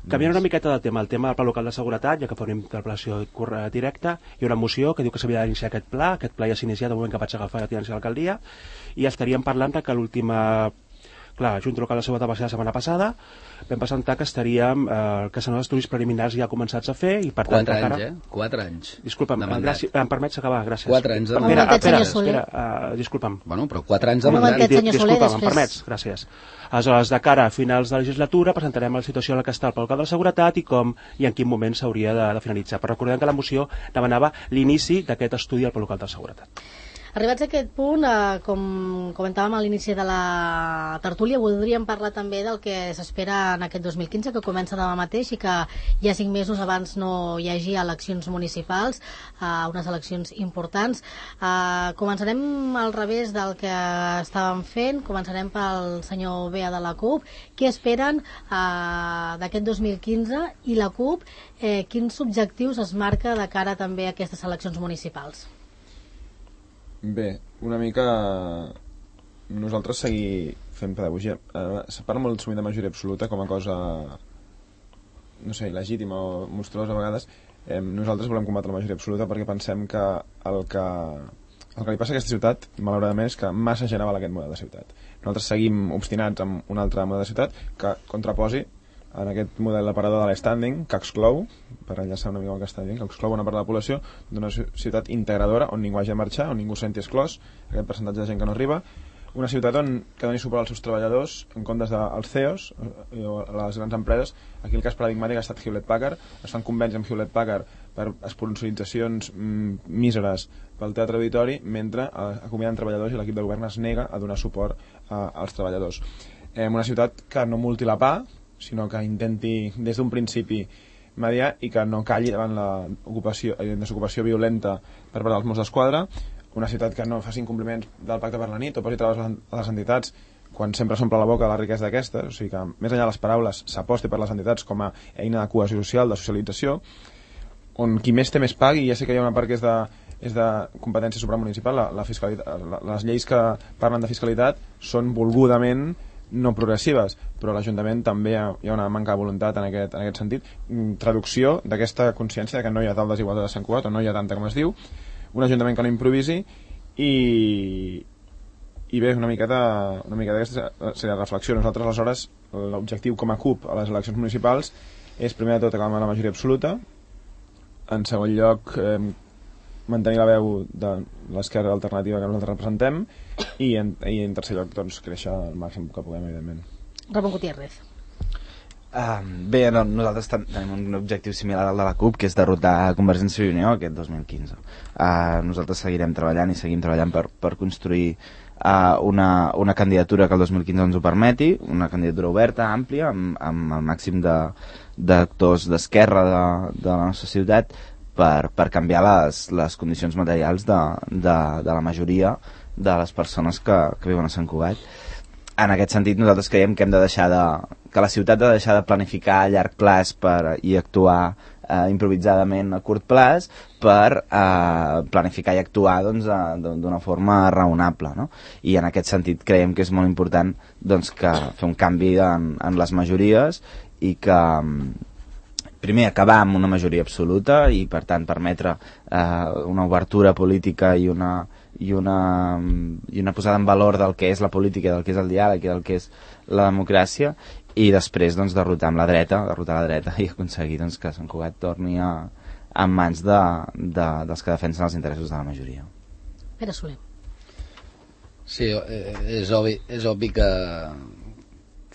Canviant una miqueta de tema, el tema del pla local de seguretat, ja que fa una interpel·lació directa, hi ha una moció que diu que s'havia d'iniciar aquest pla, aquest pla ja s'ha iniciat el moment que vaig agafar la tinència de l'alcaldia, i estaríem parlant que l'última... Clar, la Junta Local de Seguretat va ser la setmana passada, vam presentar que estaríem, eh, que són els estudis preliminars ja començats a fer, i per tant... Quatre anys, encara... eh? Quatre anys. Disculpa'm, gràcies, em permets acabar, gràcies. Quatre anys de mandat. Espera, espera, espera, uh, disculpa'm. Bueno, però quatre anys de Un mandat. momentet, senyor Soler, Disculpa'm, després. em permets, gràcies. Aleshores, de cara a finals de legislatura, presentarem la situació en la que està el pla local de seguretat i com i en quin moment s'hauria de, de finalitzar. Però recordem que la moció demanava l'inici d'aquest estudi al pla local de seguretat. Arribats a aquest punt, eh, com comentàvem a l'inici de la tertúlia, voldríem parlar també del que s'espera en aquest dos mil quinze, que comença demà mateix i que ja cinc mesos abans no hi hagi eleccions municipals, eh, unes eleccions importants. Eh, començarem al revés del que estàvem fent, començarem pel senyor Bea de la CUP. Què esperen eh, d'aquest dos mil quinze i la CUP, eh, quins objectius es marca de cara també a aquestes eleccions municipals? Bé, una mica nosaltres seguir fent pedagogia. Eh, se parla molt sovint de majoria absoluta com a cosa, no sé, legítima o monstruosa a vegades. Eh, nosaltres volem combatre la majoria absoluta perquè pensem que el que el que li passa a aquesta ciutat, malauradament, és que massa gent avala aquest model de ciutat. Nosaltres seguim obstinats amb un altre model de ciutat que contraposi en aquest model aparador de l'e-standing, que exclou, per enllaçar una mica el que està dient, que exclou una part de la població d'una ciutat integradora on ningú hagi de marxar, on ningú senti exclòs, aquest percentatge de gent que no arriba, una ciutat on que doni suport als seus treballadors en comptes dels C E Os o a les grans empreses. Aquí el cas paradigmàtic ha estat Hewlett-Packard. Es fan convenis amb Hewlett-Packard per sponsoritzacions mm, míseres pel teatre auditori, mentre eh, acomiaden treballadors i l'equip de govern es nega a donar suport eh, als treballadors. Eh, una ciutat que no multi la pa, sinó que intenti des d'un principi mediar i que no calli davant la ocupació, eh, desocupació violenta per part dels Mossos d'Esquadra, una ciutat que no faci incompliments del pacte per la nit o posi traves a les entitats quan sempre s'omple la boca de la riquesa d'aquestes, o sigui que més enllà de les paraules s'aposti per les entitats com a eina de cohesió social, de socialització, on qui més té més pagui. Ja sé que hi ha una part que és de, és de competència supramunicipal, la, la fiscalitat, la, les lleis que parlen de fiscalitat són volgudament no progressives, però a l'Ajuntament també hi ha, hi ha una manca de voluntat en aquest, en aquest sentit. Traducció d'aquesta consciència de que no hi ha tal desigualtat a Sant Cugat, o no hi ha tanta com es diu, un Ajuntament que no improvisi i, i bé, una miqueta, una miqueta aquesta seria la reflexió. Nosaltres aleshores l'objectiu com a CUP a les eleccions municipals és primer de tot acabar amb la majoria absoluta, en segon lloc eh, mantenir la veu de l'esquerra alternativa que nosaltres representem i en, i en tercer lloc doncs, créixer al màxim que puguem, evidentment. Ramon Gutiérrez. Uh, bé, no, nosaltres ten tenim un objectiu similar al de la CUP, que és derrotar Convergència i Unió aquest dos mil quinze. Uh, nosaltres seguirem treballant i seguim treballant per, per construir uh, una, una candidatura que el dos mil quinze ens ho permeti, una candidatura oberta, àmplia, amb, amb el màxim d'actors d'esquerra de, de la nostra ciutat, per, per canviar les, les condicions materials de, de, de la majoria de les persones que, que viuen a Sant Cugat. En aquest sentit, nosaltres creiem que hem de deixar de, que la ciutat ha de deixar de planificar a llarg plaç per, i actuar eh, improvisadament a curt plaç per eh, planificar i actuar doncs, d'una forma raonable, no? I en aquest sentit creiem que és molt important doncs, que fer un canvi en, en les majories i que primer acabar amb una majoria absoluta i per tant permetre eh, una obertura política i una, i, una, i una posada en valor del que és la política, del que és el diàleg i del que és la democràcia, i després doncs, derrotar amb la dreta, derrotar la dreta i aconseguir doncs, que Sant Cugat torni a, en mans de, de, dels que defensen els interessos de la majoria. Pere Soler. Sí, és obvi, és obvi que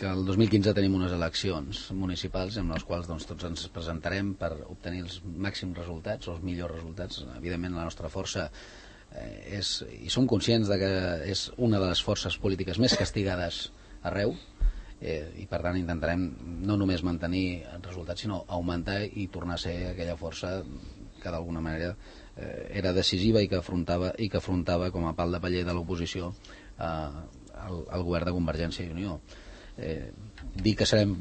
que el dos mil quinze tenim unes eleccions municipals en les quals doncs, tots ens presentarem per obtenir els màxims resultats o els millors resultats. Evidentment la nostra força eh, és, i som conscients de que és una de les forces polítiques més castigades arreu, eh, i per tant intentarem no només mantenir resultats sinó augmentar i tornar a ser aquella força que d'alguna manera eh, era decisiva i que afrontava, i que afrontava com a pal de paller de l'oposició eh, el, el govern de Convergència i Unió. Eh, dir que serem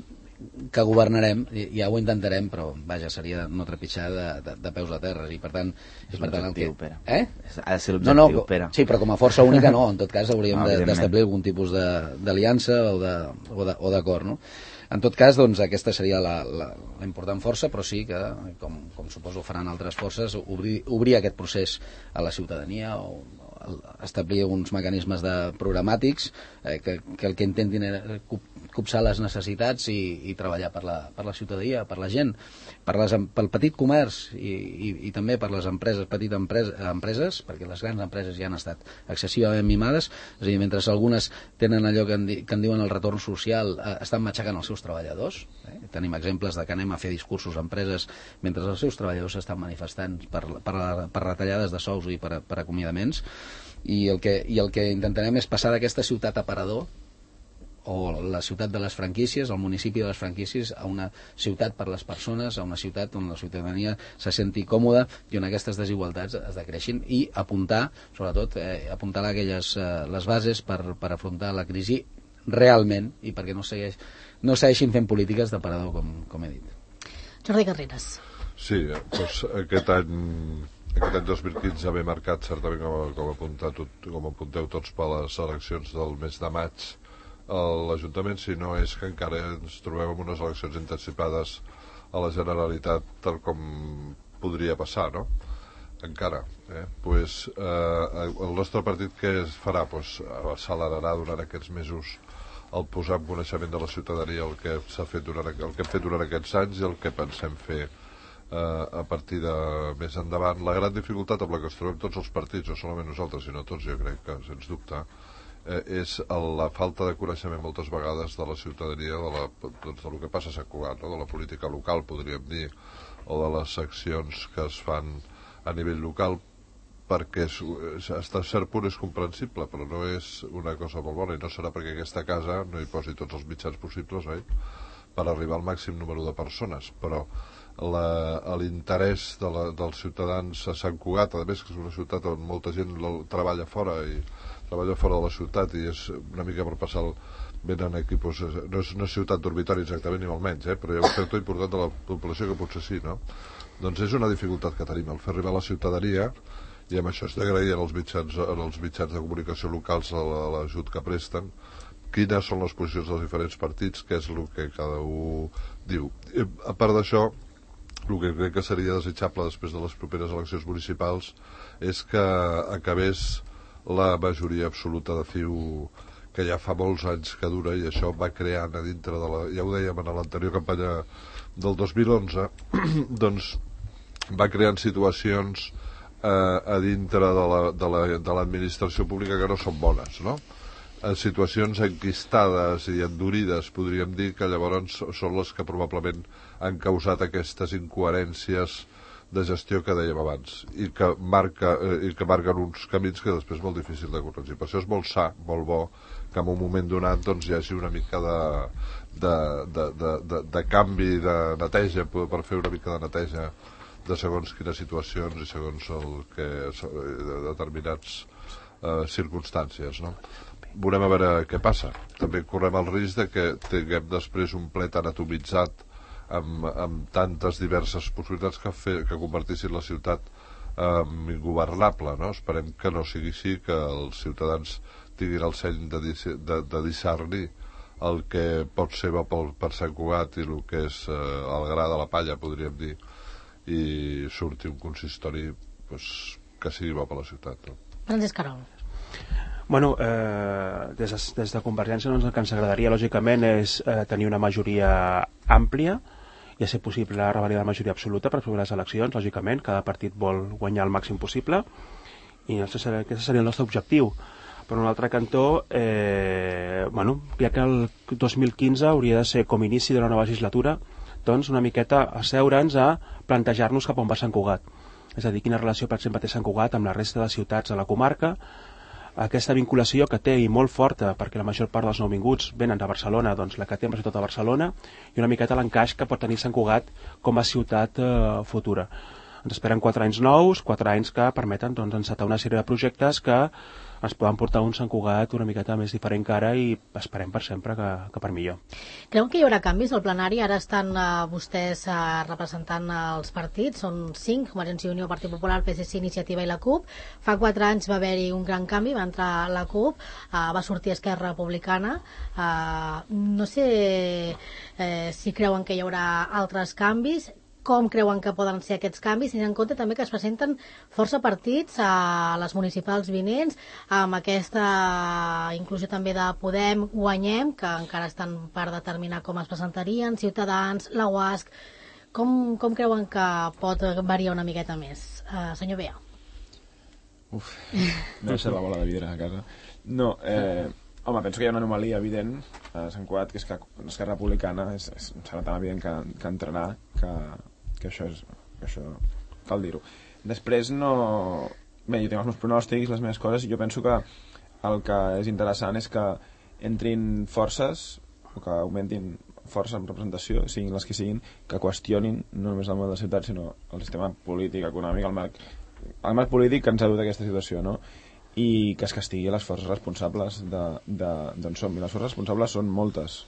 que governarem, ja ho intentarem, però vaja, seria no trepitjar de, de, de peus a terra, i per tant és per tant, l'objectiu, que... Pere. Eh? Ha de ser l'objectiu, no, no, Pere. Sí, però com a força única no, en tot cas hauríem no, d'establir algun tipus d'aliança o d'acord, no? En tot cas, doncs, aquesta seria la, la, la important força, però sí que, com, com suposo faran altres forces, obrir, obrir aquest procés a la ciutadania o establir uns mecanismes de programàtics eh, que, que el que intentin és copsar les necessitats i, i treballar per la, per la ciutadania, per la gent, per les, pel petit comerç i, i, i també per les empreses, petites empreses, empreses, perquè les grans empreses ja han estat excessivament mimades, és a dir, mentre algunes tenen allò que en, di, que en diuen el retorn social, eh, estan matxacant els seus treballadors. Eh? Tenim exemples de que anem a fer discursos a empreses mentre els seus treballadors estan manifestant per, per, per retallades de sous i per, per acomiadaments. I el, que, i el que intentarem és passar d'aquesta ciutat aparador o la ciutat de les franquícies, el municipi de les franquícies, a una ciutat per les persones, a una ciutat on la ciutadania se senti còmoda i on aquestes desigualtats es decreixin, i apuntar, sobretot, eh, apuntar aquelles, eh, les bases per, per afrontar la crisi realment i perquè no, segueix, no segueixin fent polítiques d'aparador, com, com he dit. Jordi Carreras. Sí, doncs aquest any... Aquest any dos mil quinze ve marcat certament com, com, apuntat, com apunteu tots per les eleccions del mes de maig a l'Ajuntament, si no és que encara ens trobem en unes eleccions anticipades a la Generalitat tal com podria passar, no? Encara. Eh? Pues, eh, el nostre partit què es farà? Pues, accelerarà durant aquests mesos el posar en coneixement de la ciutadania el que s'ha fet durant, el que hem fet durant aquests anys i el que pensem fer a partir de més endavant. La gran dificultat amb la que ens trobem tots els partits, no solament nosaltres sinó tots, jo crec que sens dubte eh, és la falta de coneixement moltes vegades de la ciutadania de, la, doncs, de lo que passa a Sant Cugat, no? De la política local, podríem dir, o de les accions que es fan a nivell local, perquè és, hasta cert punt és comprensible, però no és una cosa molt bona, i no serà perquè aquesta casa no hi posi tots els mitjans possibles, oi? Per arribar al màxim número de persones, però l'interès de la, dels ciutadans a Sant Cugat, a més que és una ciutat on molta gent treballa fora i treballa fora de la ciutat i és una mica per passar el, venen aquí, doncs, no és una ciutat dormitori exactament ni molt menys, eh, però hi ha un sector important de la població que potser sí, no? Doncs és una dificultat que tenim, el fer arribar a la ciutadania, i amb això és d'agrair als mitjans, als mitjans de comunicació locals l'ajut que presten, quines són les posicions dels diferents partits, què és el que cada un diu. I, a part d'això, el que crec que seria desitjable després de les properes eleccions municipals és que acabés la majoria absoluta de C I U que ja fa molts anys que dura, i això va creant a dintre de la... ja ho dèiem en l'anterior campanya del dos mil onze, doncs va creant situacions eh, a dintre de l'administració pública que no són bones, no? En situacions enquistades i endurides, podríem dir, que llavors són les que probablement han causat aquestes incoherències de gestió que dèiem abans i que, marca, eh, i que marquen uns camins que després és molt difícil de corregir. Per això és molt sa, molt bo que en un moment donat doncs, hi hagi una mica de, de, de, de, de, de canvi, de neteja, per fer una mica de neteja de segons quines situacions i segons el que, de determinats eh, circumstàncies, no? Veurem a veure què passa. També correm el risc de que tinguem després un plet anatomitzat amb, amb tantes diverses possibilitats que, fer, que convertissin la ciutat en ingovernable, no? Esperem que no sigui així, que els ciutadans tinguin el seny de, de, de discernir el que pot ser bo per, per Sant Cugat i el que és eh, el gra de la palla, podríem dir, i surti un consistori pues, que sigui bo per la ciutat, no? Francesc Carol. Bueno, eh, des, de, des de Convergència doncs, el que ens agradaria lògicament és eh, tenir una majoria àmplia i a ser possible revalidar la majoria absoluta per fer les eleccions, lògicament cada partit vol guanyar el màxim possible i aquest seria, aquest seria el nostre objectiu. Per un altre cantó, eh, bueno, ja que el dos mil quinze hauria de ser com inici de la nova legislatura, doncs una miqueta asseure'ns a plantejar-nos cap on va Sant Cugat, és a dir, quina relació per exemple té Sant Cugat amb la resta de ciutats de la comarca, aquesta vinculació que té i molt forta, perquè la major part dels nouvinguts venen de Barcelona, doncs la que té sobretot a Barcelona, i una miqueta l'encaix que pot tenir Sant Cugat com a ciutat eh, futura. ens esperen quatre anys nous, quatre anys que permeten doncs, encetar una sèrie de projectes que ens poden portar un Sant Cugat una miqueta més diferent que ara i esperem per sempre que, que per millor. Creuen que hi haurà canvis al plenari? Ara estan uh, vostès uh, representant els partits, són cinc, Convergència i Unió, Partit Popular, P S C, Iniciativa i la CUP. Fa quatre anys va haver-hi un gran canvi, va entrar la CUP, uh, va sortir Esquerra Republicana. Uh, no sé eh, si creuen que hi haurà altres canvis, com creuen que poden ser aquests canvis, tenint en compte també que es presenten força partits a les municipals vinents, amb aquesta inclusió també de Podem, Guanyem, que encara estan per determinar com es presentarien, Ciutadans, la U A S C. Com, com creuen que pot variar una miqueta més? Uh, senyor Bea. Uf, no sé la bola de vidre a casa. No, eh, home, penso que hi ha una anomalia evident a Sant Cugat, que és que Esquerra Republicana és, és, serà tan evident que, que entrarà que que això és, que això cal dir-ho. Després no... Bé, jo tinc els meus pronòstics, les meves coses, i jo penso que el que és interessant és que entrin forces, o que augmentin força en representació, siguin les que siguin, que qüestionin no només el model de ciutat, sinó el sistema polític, econòmic, el marc, el marc polític que ens ha dut a aquesta situació, no? I que es castigui les forces responsables d'on som. I les forces responsables són moltes.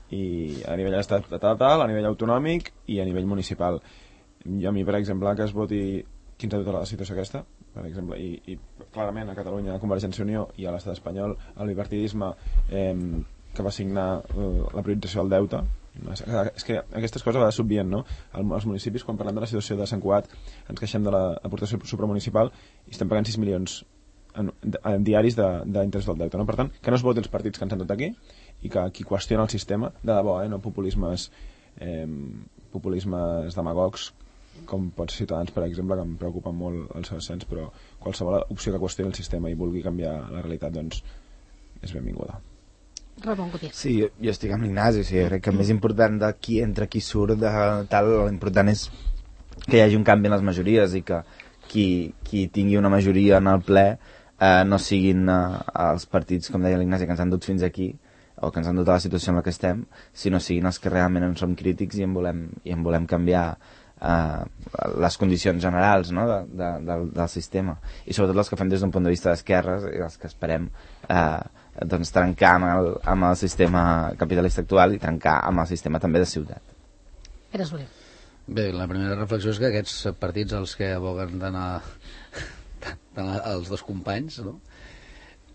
I a nivell estatal, a nivell autonòmic i a nivell municipal. I a mi, per exemple, que es voti qui ens ha dut a la situació aquesta, per exemple, i, i clarament a Catalunya, a Convergència i Unió i a l'estat espanyol, el bipartidisme eh, que va signar eh, la priorització del deute. És que aquestes coses va s'obvien, no? Els municipis, quan parlem de la situació de Sant Cugat, ens queixem de l'aportació supramunicipal i estem pagant sis milions en, en diaris d'interès del deute, no? Per tant, que no es votin els partits que ens han dut aquí i que qui qüestiona el sistema, de debò, eh, no populismes eh, populismes demagogs com pot ser Ciutadans, per exemple, que em preocupa molt el seu ascens, però qualsevol opció que qüestioni el sistema i vulgui canviar la realitat, doncs és benvinguda. Ramon Gutiérrez. Sí, jo, jo estic amb l'Ignasi, o sigui, crec que el més important de qui entra, qui surt, de tal, l'important és que hi hagi un canvi en les majories i que qui, qui tingui una majoria en el ple eh, no siguin eh, els partits, com deia l'Ignasi, que ens han dut fins aquí, o que ens han dut a la situació en la que estem, sinó siguin els que realment en som crítics i en volem, i en volem canviar eh, les condicions generals, no? de, de, del, del sistema. I sobretot els que fem des d'un punt de vista d'esquerres i els que esperem eh, doncs, trencar amb el, amb el sistema capitalista actual i trencar amb el sistema també de ciutat. Pere Soler. Bé, la primera reflexió és que aquests partits als que aboguen d'anar els dos companys, no?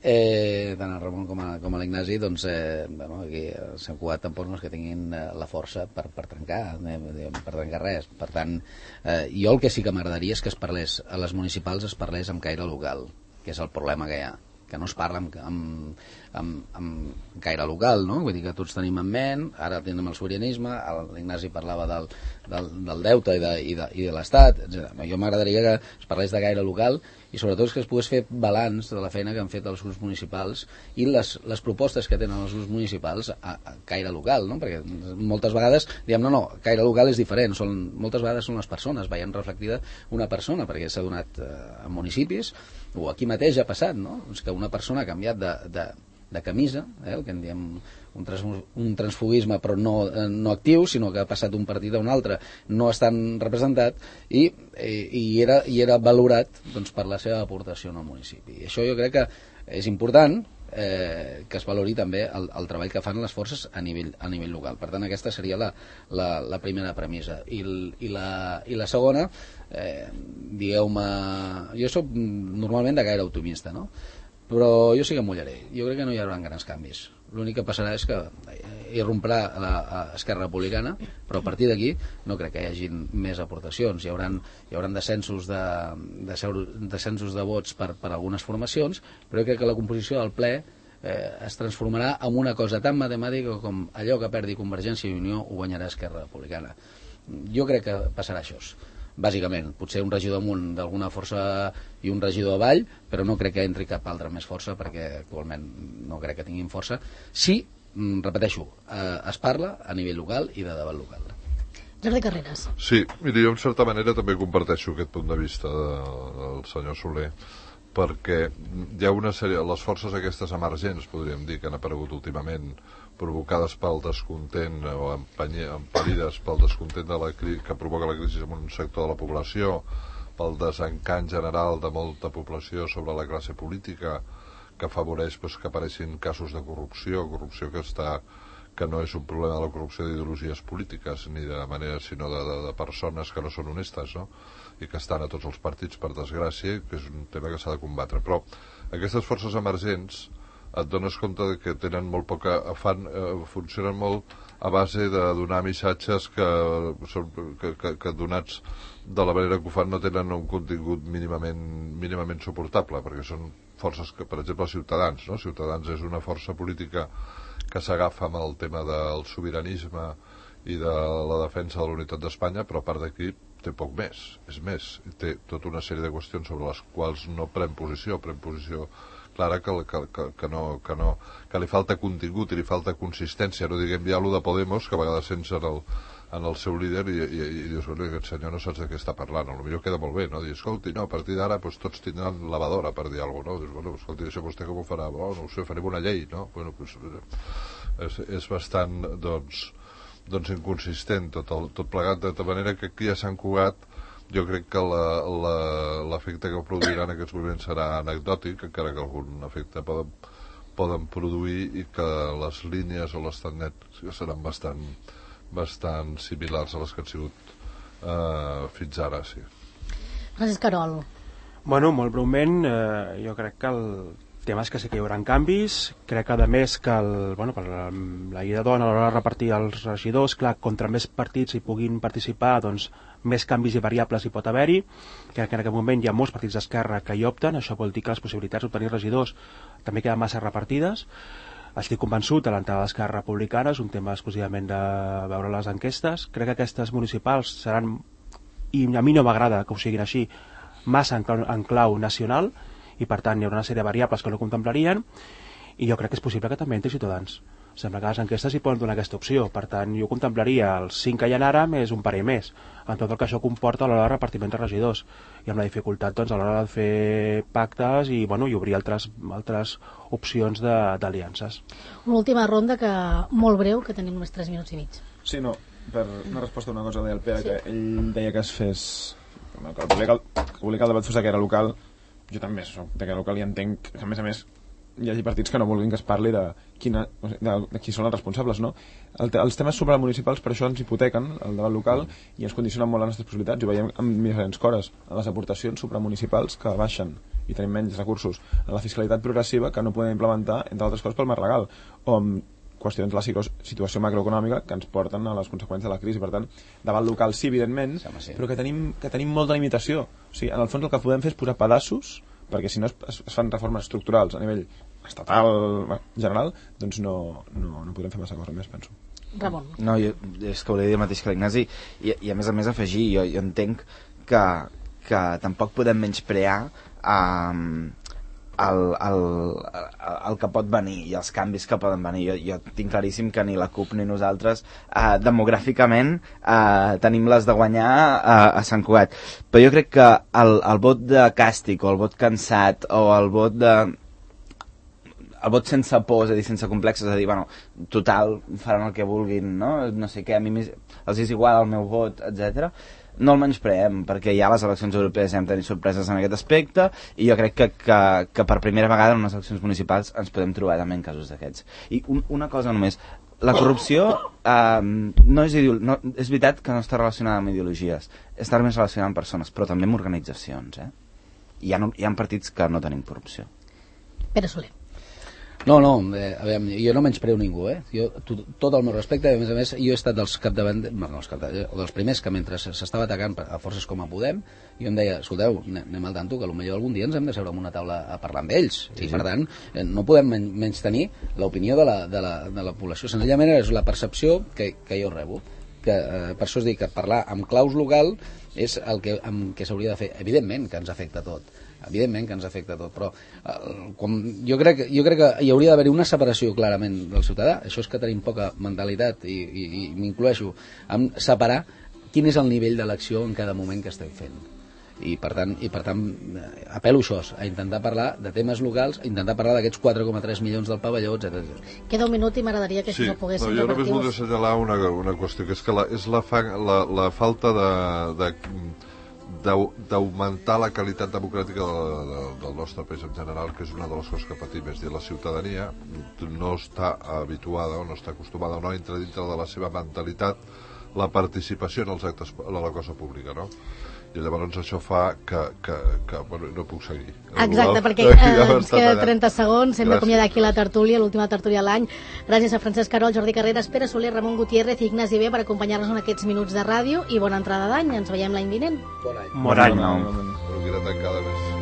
Eh, tant el Ramon com a, com a l'Ignasi, doncs eh, bueno, aquí a Sant Cugat tampoc no és que tinguin eh, la força per, per trencar eh, per trencar res. Per tant, eh, jo el que sí que m'agradaria és que es parlés a les municipals, es parlés amb caire local, que és el problema que hi ha, que no es parla amb, amb, amb, amb caire local, no? Vull dir que tots tenim en ment, ara tenim el sobiranisme, l'Ignasi parlava del, del, del deute i de, i de, i de l'Estat, etcètera. Jo m'agradaria que es parlés de caire local i sobretot que es pogués fer balanç de la feina que han fet els grups municipals i les, les propostes que tenen els grups municipals a, a caire local, no? Perquè moltes vegades diem, no, no, caire local és diferent, són, moltes vegades són les persones, veient reflectida una persona, perquè s'ha donat eh, a municipis, o aquí mateix ha passat, no? És que una persona ha canviat de, de, de camisa, eh, el que en diem un, trans, un transfugisme però no, eh, no actiu, sinó que ha passat d'un partit a un altre, no estan representat i, i, i, era, i era valorat doncs, per la seva aportació al municipi. I això jo crec que és important eh, que es valori també el, el treball que fan les forces a nivell, a nivell local. Per tant, aquesta seria la, la, la primera premissa. I, i, la, i la segona, eh, digueu-me, jo soc normalment de gaire optimista, no? Però jo sí que em mullaré. Jo crec que no hi haurà grans canvis. L'únic que passarà és que irromprà l'Esquerra Republicana, però a partir d'aquí no crec que hi hagi més aportacions. Hi haurà, hi haurà descensos, de, de, descensos de vots per, per algunes formacions, però jo crec que la composició del ple eh, es transformarà en una cosa tan matemàtica com allò que perdi Convergència i Unió ho guanyarà Esquerra Republicana. Jo crec que passarà això. Bàsicament, potser un regidor amunt d'alguna força i un regidor avall, però no crec que entri cap altra més força perquè actualment no crec que tinguin força. Sí, repeteixo, eh, es parla a nivell local i de debat local. Jordi Carreras. Sí, mira, jo en certa manera també comparteixo aquest punt de vista de, del senyor Soler, perquè hi ha una sèrie, les forces aquestes emergents, podríem dir, que han aparegut últimament, provocades pel descontent o emparides pel descontent de la cri que provoca la crisi en un sector de la població, pel desencant general de molta població sobre la classe política, que afavoreix pues, que apareixin casos de corrupció, corrupció que està que no és un problema de la corrupció d'ideologies polítiques ni de manera, sinó de, de, de persones que no són honestes, no? I que estan a tots els partits per desgràcia, que és un tema que s'ha de combatre. Però aquestes forces emergents et dones compte de que tenen molt poca fan, eh, funcionen molt a base de donar missatges que, que, que, que donats de la manera que ho fan no tenen un contingut mínimament, mínimament suportable, perquè són forces que, per exemple, Ciutadans, no? Ciutadans és una força política que s'agafa amb el tema del sobiranisme i de la defensa de la unitat d'Espanya, però a part d'aquí té poc més, és més, té tota una sèrie de qüestions sobre les quals no pren posició, pren posició clara que, que, que, que, no, que, no, que li falta contingut i li falta consistència, no diguem ja allò de Podemos, que a vegades sents en el, en el seu líder i, i, i dius, bueno, aquest senyor no saps de què està parlant, a lo millor queda molt bé, no? Dius, escolti, no, a partir d'ara pues, tots tindran lavadora, per dir alguna cosa, no? Dius, bueno, escolti, això vostè com ho farà? Oh, no ho sé, farem una llei, no? Bueno, pues, és, és bastant, doncs, doncs inconsistent tot, el, tot plegat, de manera que aquí a Sant Cugat jo crec que l'efecte que produiran aquests moviments serà anecdòtic, encara que algun efecte poden, poden produir, i que les línies o les tendències seran bastant, bastant similars a les que han sigut eh, fins ara, sí. Francesc Querol. Bueno, molt breument, eh, jo crec que el tema és que sí que hi haurà canvis. Crec que, a més, que el, bueno, per la, la llei de dona a l'hora de repartir els regidors, clar, contra més partits hi puguin participar, doncs més canvis i variables hi pot haver-hi. Crec que en aquest moment hi ha molts partits d'esquerra que hi opten, això vol dir que les possibilitats d'obtenir regidors també queden massa repartides. Estic convençut de l'entrada d'Esquerra Republicana, és un tema exclusivament de veure les enquestes. Crec que aquestes municipals seran, i a mi no m'agrada que ho siguin així, massa en clau, en clau nacional, i per tant hi haurà una sèrie de variables que no contemplarien, i jo crec que és possible que també entri Ciutadans. Sembla que les enquestes hi poden donar aquesta opció, per tant jo contemplaria els cinc que hi ha ara més un parell més, en tot el que això comporta a l'hora de repartiment de regidors, i amb la dificultat doncs, a l'hora de fer pactes i, bueno, i obrir altres, altres opcions d'aliances. Una última ronda, que molt breu, que tenim només tres minuts i mig. Sí, no, per una resposta a una cosa deia el Pere, sí. Que ell deia que es fes, que volia que el, que volia que el debat fos de que era local. Jo també soc de que local i entenc que, a més a més, hi hagi partits que no vulguin que es parli de, quina, de, de qui són els responsables, no? El, els temes supramunicipals per això ens hipotequen el debat local i ens condicionen molt les nostres possibilitats. Ho veiem amb diferents cores, en les aportacions supramunicipals que baixen i tenim menys recursos, en la fiscalitat progressiva que no podem implementar, entre altres coses, pel marc legal, o amb qüestions de la situació macroeconòmica que ens porten a les conseqüències de la crisi. Per tant, debat local sí, evidentment, sí, sí. Però que tenim, que tenim molta limitació. O sigui, en el fons el que podem fer és posar pedaços, perquè si no es, es, es fan reformes estructurals a nivell estatal, general, doncs no, no, no podem fer massa cosa més, penso. Ramon. No, jo, és que volia dir el mateix que l'Ignasi, i, i a més a més afegir, jo, jo entenc que, que tampoc podem menysprear um, El, el, el que pot venir i els canvis que poden venir. Jo, jo tinc claríssim que ni la CUP ni nosaltres eh, demogràficament eh, tenim les de guanyar eh, a Sant Cugat, però jo crec que el, el vot de càstig o el vot cansat o el vot de el vot sense por, és a dir, sense complexes, és a dir, bueno, total, faran el que vulguin, no? No sé què, a mi els és igual el meu vot, etcètera. No el menyspreem, perquè ja a les eleccions europees hem tenit sorpreses en aquest aspecte, i jo crec que, que, que per primera vegada en unes eleccions municipals ens podem trobar també en casos d'aquests. I un, una cosa només, la corrupció eh, no és, no, és veritat que no està relacionada amb ideologies, està més relacionada amb persones, però també amb organitzacions. Eh? Hi ha, hi ha partits que no tenim corrupció. Pere Soler. No, no, eh, a veure, jo no menyspreo ningú, eh? Jo, tot, tot el meu respecte, a més a més, jo he estat dels capdavant, no, els capdavant, dels primers que mentre s'estava atacant a forces com a Podem, jo em deia, escolteu, anem al tanto, que potser algun dia ens hem de seure en una taula a parlar amb ells, sí, i per tant, eh, no podem men menys tenir l'opinió de, la, de, la, de la població, senzillament és la percepció que, que jo rebo, que eh, per això es diu que parlar amb claus local és el que, amb què s'hauria de fer, evidentment que ens afecta tot, evidentment que ens afecta tot, però eh, com, jo, crec, jo crec que hi hauria d'haver una separació clarament del ciutadà, això és que tenim poca mentalitat i, i, i m'incloeixo en separar quin és el nivell de l'acció en cada moment que estem fent. i per tant, i per tant apel·lo això, a intentar parlar de temes locals, a intentar parlar d'aquests quatre coma tres milions del pavelló, etcètera. Queda un minut i m'agradaria que sí, això poguéssim no, jo només voldria assenyalar una, una qüestió, que és que la, és la, fa, la, la falta de, de d'augmentar la qualitat democràtica de, de, del nostre país en general, que és una de les coses que patim. És dir, la ciutadania no està habituada o no està acostumada o no entra dintre de la seva mentalitat la participació en els actes de la cosa pública, no? I llavors això fa que, que, que bueno, no puc seguir. Exacte, perquè eh, ens queda trenta segons, hem d'acomiadar aquí la tertúlia, l'última tertúlia de l'any. Gràcies a Francesc Carol, Jordi Carreras, Pere Soler, Ramon Gutiérrez i Ignasi B per acompanyar-nos en aquests minuts de ràdio i bona entrada d'any. Ens veiem l'any vinent. Bon any. Bon any. Però queda tancada més.